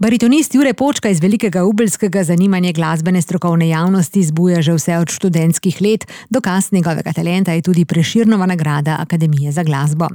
Baritonist Jure Počka iz Velikega Ubeljskega zanimanje glasbene strokovne javnosti zbuja že vse od študentskih let, dokaz njegovega talenta je tudi Prešernova nagrada Akademije za glasbo.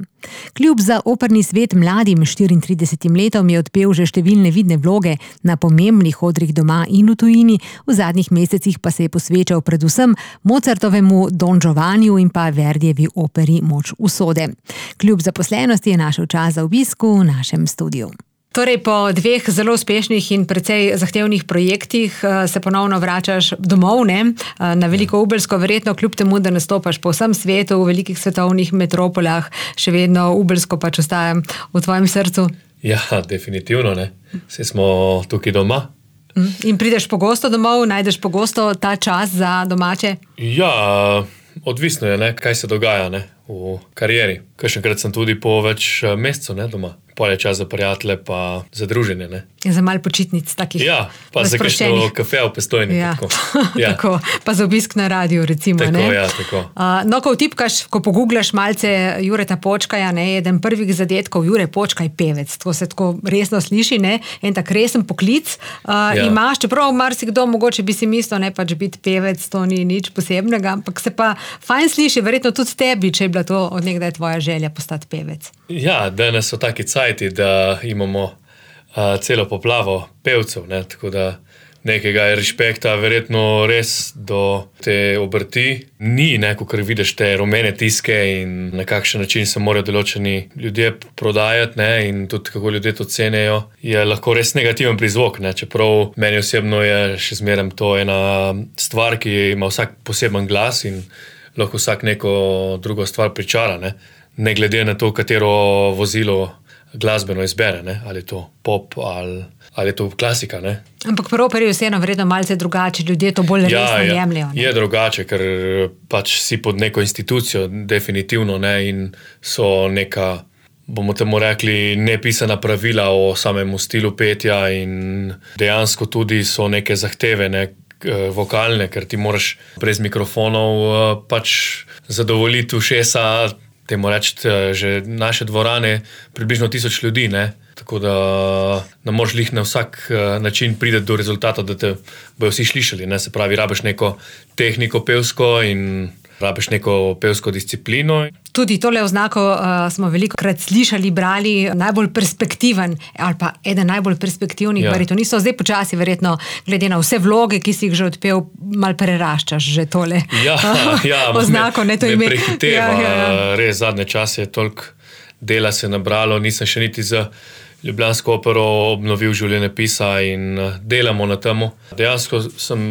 Kljub za operni svet mladim 34 letom je odpel že številne vidne vloge na pomembnih odrih doma in v tujini, v zadnjih mesecih pa se je posvečal predvsem Mozartovemu Don Giovanniu in pa Verdijevi operi Moč usode. Kljub zaposlenosti je našel čas za obisku v našem studiu. Torej, po dveh zelo uspešnih in precej zahtevnih projektih se ponovno vračaš domov, ne? Na Veliko Ubeljsko, verjetno kljub temu, da nastopaš po vsem svetu, v velikih svetovnih metropolah, še vedno Ubeljsko pač ostaja v tvojem srcu? Ja, definitivno, ne. Saj smo tukaj doma. In prideš pogosto domov, najdeš pogosto ta čas za domače? Ja, odvisno je, ne, kaj se dogaja, ne, v karieri. Kakšenkrat sem tudi po več mesecev, ne, doma. Pol je čas za prijatelje pa za druženje, ne. Za malo počitnic takih. Ja, pa za kakšno kafe v Postojni. Ja. Tako. Ja. Tako, pa za obisk na radiju, recimo. Tako, ne? ja, tako. No, ko vtipkaš, ko pogooglaš malce Jureta Počkaja, ne, eden prvih zadetkov, Jure Počkaj pevec, to se tako resno sliši, ne, en tak resen poklic. Imaš, čeprav marsikdo mogoče bi si mislil, ne, pač biti pevec, to ni nič posebnega, ampak se pa fajn sliši, verjetno tudi tebi, če je bila to od nekdaj tvoja želja postati pevec. Ja, danes so taki cajti, da imamo celo poplavo pevcev, ne, tako da nekega respekta verjetno res do te obrti ni, ne, kakor vidiš te rumene tiske in na kakšen način se morajo določeni ljudje prodajati, ne, in tudi kako ljudje to cenijo, je lahko res negativen prizvok, ne, čeprav meni osebno je še zmeraj to ena stvar, ki ima vsak poseben glas in lahko vsak neko drugo stvar pričara, ne glede na to, katero vozilo glasbeno izbere, ne? Ali je to pop ali je to klasika. Ne? Ampak pri operi je vseeno vredno malce drugače, ljudje to bolj resno jemljajo. Je drugače, ker pač si pod neko institucijo definitivno, ne? In so neka, bomo temu rekli, nepisana pravila o samemu stilu petja in dejansko tudi so neke zahteve, ne? Vokalne, ker ti moraš brez mikrofonov pač zadovoljiti ušesa, temu reči, že naše dvorane približno 1000 ljudi, ne? Tako da ne moreš lih na vsak način priti do rezultata, da te bojo vsi slišali, ne? Se pravi, rabiš neko tehniko pevsko in rabiš neko pevsko disciplino. Tudi tole oznako smo velikokrat slišali, brali, najbolj perspektiven ali pa eden najbolj perspektivnih baritonistov. Zdaj počasi verjetno, glede na vse vloge, ki si jih že odpel, malo preraščaš že tole oznako. Me prehiteva. Res zadnje čase je toliko dela se nabralo, nisem še niti za ljubljansko opero obnovil življenjepisa in delamo na temu. Dejansko sem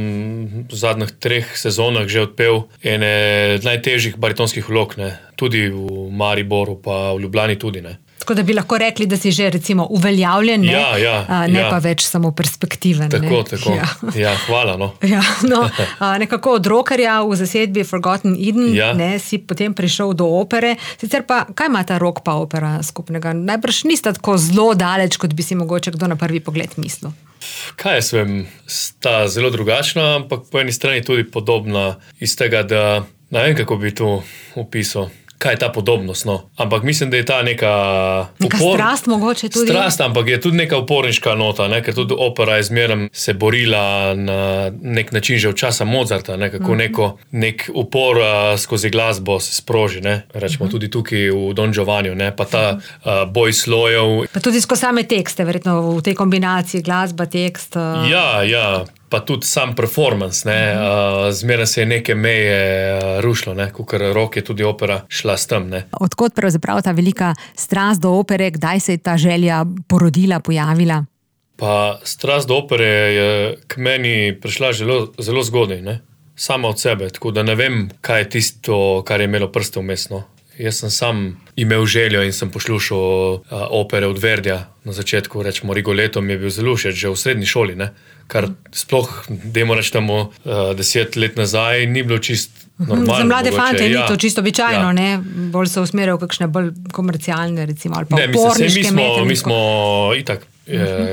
v zadnjih 3 sezonah že odpel ene najtežjih baritonskih vlog, ne. Tudi v Mariboru pa v Ljubljani tudi, ne. Tako da bi lahko rekli, da si že recimo uveljavljen, ne, ne pa več samo perspektiven. Tako. Ja, hvala, no. Ja, no, nekako od rockerja v zasedbi Forgotten Eden, ne, si potem prišel do opere. Sicer pa, kaj ima ta rock pa opera skupnega? Najbrž nista tako zelo daleč, kot bi si mogoče kdo na prvi pogled mislil. Kaj jaz vem, sta zelo drugačna, ampak po eni strani tudi podobna iz tega, da ne vem, kako bi to opisal. Kaj je ta podobnost, no. Ampak mislim, da je ta neka strast mogoče tudi. Strast, ampak je tudi neka uporniška nota, ne, ker tudi opera je zmeraj se borila na nek način že od časa Mozarta, ne, kako nek upor skozi glasbo se sproži, ne. Rečemo tudi tukaj v Don Giovanniu, ne, pa ta boj slojev. Pa tudi skozi same tekste, verjetno v tej kombinaciji glasba, tekst. Ja. Pa tudi sam performance, ne, zmeraj se je neke meje rušilo, ne, kakor rock je tudi opera šla s tem, ne. Odkot pravzaprav ta velika strast do opere, kdaj se je ta želja porodila, pojavila? Pa strast do opere je k meni prišla zelo zgodaj, ne, sama od sebe, tako da ne vem, kaj je tisto, kar je imelo prste vmes, no. Jaz sem sam imel željo in sem poslušal opere od Verdija na začetku, rečemo Rigoletto mi je bil zelo všeč, že v srednji šoli, ne, kar sploh, dajmo reči temu 10 let nazaj, ni bilo čist normalno. Za mlade fante ni to čisto običajno, ne, bolj se usmerjajo v kakšne bolj komercialne, recimo, ali pa uporniške metode. Mi smo itak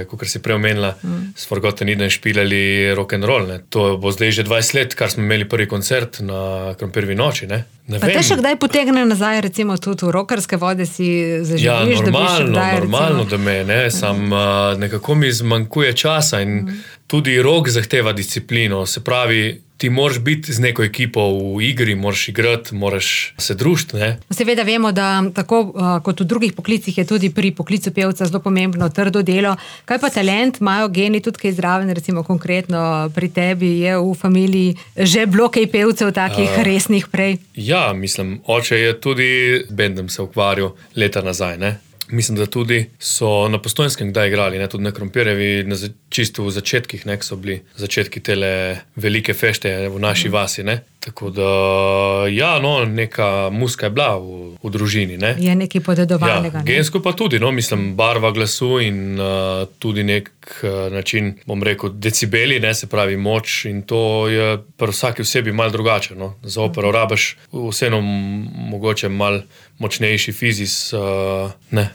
kot si prej omenila, s Forgotten Eden špilali rock'n'roll. Ne. To bo zdaj že 20 let, kar smo imeli prvi koncert na Krompirjevi noči. Ne. Pa te še kdaj potegne nazaj, recimo tudi v rockerske vode si zaživiš, da bi še kdaj? Normalno, da me, ne. Sam nekako mi zmanjkuje časa in tudi rock zahteva disciplino. Se pravi, ti moraš biti z neko ekipo v igri, moraš igrati, moraš se družiti. Seveda vemo, da tako kot v drugih poklicih je tudi pri poklicu pevca zelo pomembno trdo delo. Kaj pa talent, imajo geni tudi kaj zraven, recimo konkretno pri tebi je v familiji že bilo kaj pevcev takih resnih prej? Ja, mislim, oče je tudi bendom se ukvarjal leta nazaj, ne. Mislim, da tudi so na Postojnskem kdaj igrali, ne, tudi na Krompirjevi, čisto v začetkih, ne, so bili začetki tele velike fešte v naši vasi, ne. Tako da, ja, no, neka muzika je bila v družini, ne. Je nekaj podedovanega, ne. Gensko pa tudi, no, mislim, barva glasu in tudi nek način, bom rekel, decibeli, ne, se pravi moč in to je pri vsaki osebi malo drugače, no. Za opero rabiš vseeno mogoče malo močnejši fizis, ne.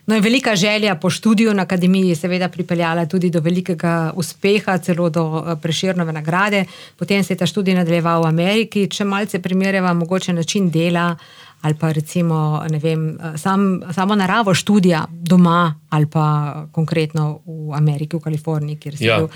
No in velika želja po študiju na akademiji je seveda pripeljala tudi do velikega uspeha, celo do Prešernove nagrade. Potem se je ta študij nadaljeval v Ameriki. Če malce primerjava mogoče način dela ali pa recimo, ne vem, samo naravo študija doma ali pa konkretno v Ameriki, v Kaliforniji, kjer si bil,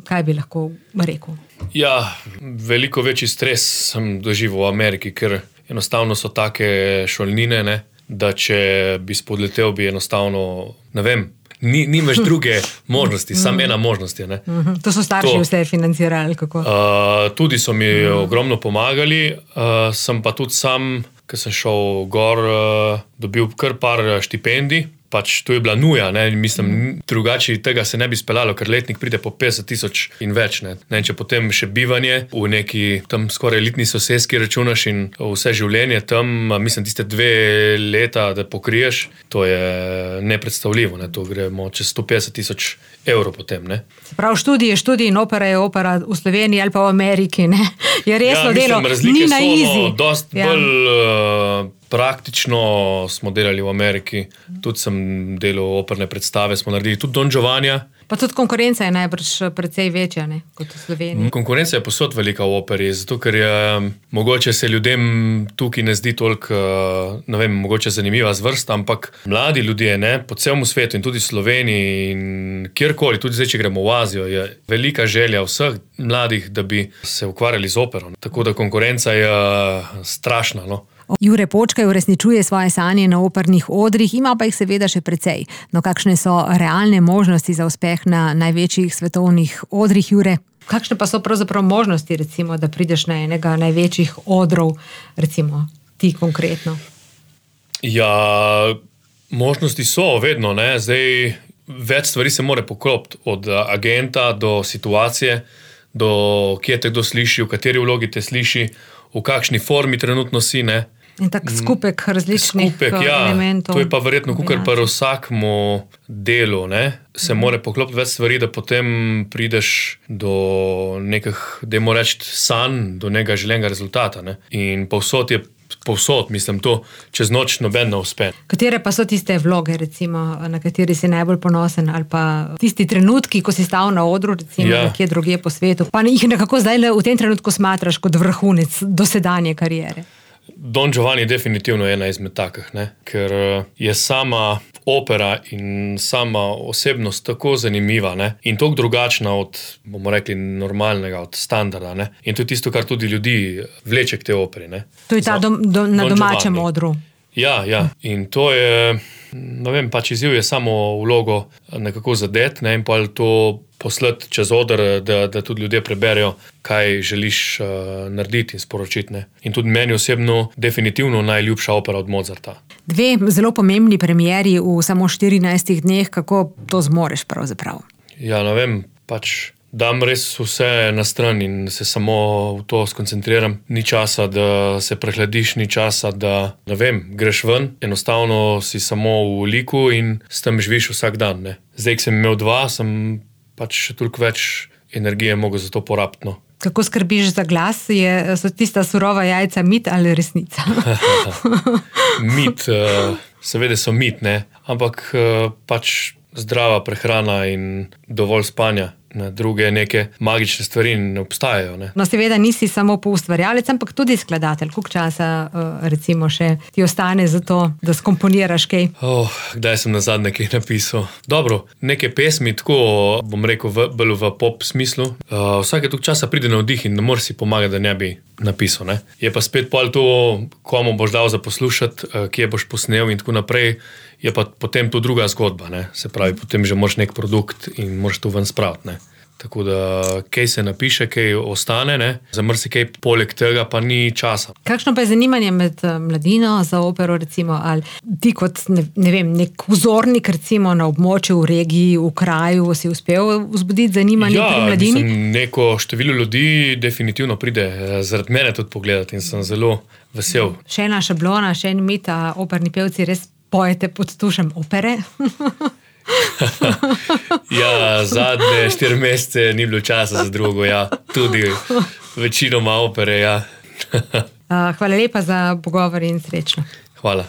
kaj bi lahko rekel? Ja, veliko večji stres sem doživel v Ameriki, ker enostavno so take šolnine, ne, da če bi spodletel, bi enostavno, ne vem, nimaš druge možnosti, samo ena možnost je. Ne. To so starši vse financirali, kako? Tudi so mi ogromno pomagali, sem pa tudi sam, ko sem šel gor, dobil kar par štipendij. Pač to je bila nuja, ne, mislim, drugače tega se ne bi speljalo, ker letnik pride po 50,000 in več, ne. Ne, če potem še bivanje v neki tam skoraj elitni soseski računaš in vse življenje tam, mislim, tiste 2 leta, da pokriješ, to je nepredstavljivo, ne, to gremo čez 150,000 evrov potem, ne. Prav študij je študij in opera je opera v Sloveniji ali pa v Ameriki, ne. Je resno delo, ni na easy. Dost bolj praktično smo delali v Ameriki, tudi sem delal operne predstave, smo naredili tudi Don Giovannija. Pa tudi konkurenca je najbrž precej večja, ne, kot v Sloveniji. Konkurenca je posod velika v operi, zato ker je mogoče se ljudem tukaj ne zdi toliko, ne vem, mogoče zanimiva zvrst, ampak mladi ljudje, ne, po celem svetu in tudi v Sloveniji in kjerkoli, tudi zdaj, če gremo v Azijo, je velika želja vseh mladih, da bi se ukvarjali z opero. Tako da konkurenca je strašna, no. Jure Počkaj uresničuje svoje sanje na opernih odrih, ima pa jih seveda še precej. No, kakšne so realne možnosti za uspeh na največjih svetovnih odrih, Jure? Kakšne pa so pravzaprav možnosti, recimo, da prideš na enega največjih odrov, recimo ti konkretno? Ja, možnosti so vedno, ne. Zdaj, več stvari se mora poklopiti, od agenta do situacije, do kje te kdo sliši, v kateri vlogi te sliši, v kakšni formi trenutno si, ne. In tak skupek različnih elementov. To je pa verjetno kukar pa vsakmu delu, ne, se mora poklopiti več stvari, da potem prideš do nekih, dajmo reči, sanj, do nekega želenega rezultata, ne. In povsod, mislim, to čez noč noben ne uspe. Katere pa so tiste vloge, recimo, na kateri si najbolj ponosen, ali pa tisti trenutki, ko si stal na odru, recimo, nekje drugje po svetu, pa jih nekako zdaj v tem trenutku smatraš kot vrhunec dosedanje kariere? Don Giovanni definitivno je ena izmed takih, ne, ker je sama opera in sama osebnost tako zanimiva, ne, in toliko drugačna od, bomo rekli, normalnega, od standarda, ne, in to je tisto, kar tudi ljudi vleče k tej operi, ne. To je ta na domačem odru. Ja, in to je, ne vem, pač izziv je samo vlogo nekako zadet, ne, in pa to poslati čez oder, da tudi ljudje preberejo, kaj želiš narediti in sporočiti, ne. In tudi meni osebno definitivno najljubša opera od Mozarta. 2 zelo pomembni premieri v samo 14 dneh, kako to zmoreš pravzaprav? Ja, ne vem, pač dam res vse na stran in se samo v to skoncentriram. Ni časa, da se prehladiš, ni časa, da, ne vem, greš ven. Enostavno si samo v liku in s tem živiš vsak dan, ne. Zdaj, ko sem imel 2, sem pač še toliko več energije mogel za to porabiti, no. Kako skrbiš za glas? So tista surova jajca mit ali resnica? Mit, seveda so mit, ne. Ampak pač zdrava prehrana in dovolj spanja. Druge neke magične stvari ne obstajajo. Ne? No, seveda nisi samo poustvarjalec, ampak tudi skladatelj. Koliko časa recimo še ti ostane za to, da skomponiraš kaj? Kdaj sem nazadnje kaj napisal? Dobro, neke pesmi, tako bom rekel bolj v pop smislu. Vsake toliko časa pride navdih in ne moreš si pomagati, da ne bi napisal. Ne? Je pa spet pol to, komu boš dal za poslušati, kje boš posnel in tako naprej, je pa potem to druga zgodba. Ne? Se pravi, potem že moraš nek produkt in moraš to ven spraviti. Ne? Tako da, kaj se napiše, kaj ostane, ne? Za marsikaj poleg tega pa ni časa. Kakšno pa je zanimanje med mladino za opero, recimo, ali ti kot, ne vem, nek vzornik, recimo, na območju, v regiji, v kraju, si uspel vzbuditi zanimanje pri mladini? Ja, neko število ljudi definitivno pride zaradi mene tudi pogledati in sem zelo vesel. Še ena šablona, še en mit, operni pevci res pojete pod tušem opere? Ja, zadnje 4 mesece ni bilo časa za drugo, ja. Tudi večinoma opere, ja. Hvala lepa za pogovor in srečno. Hvala.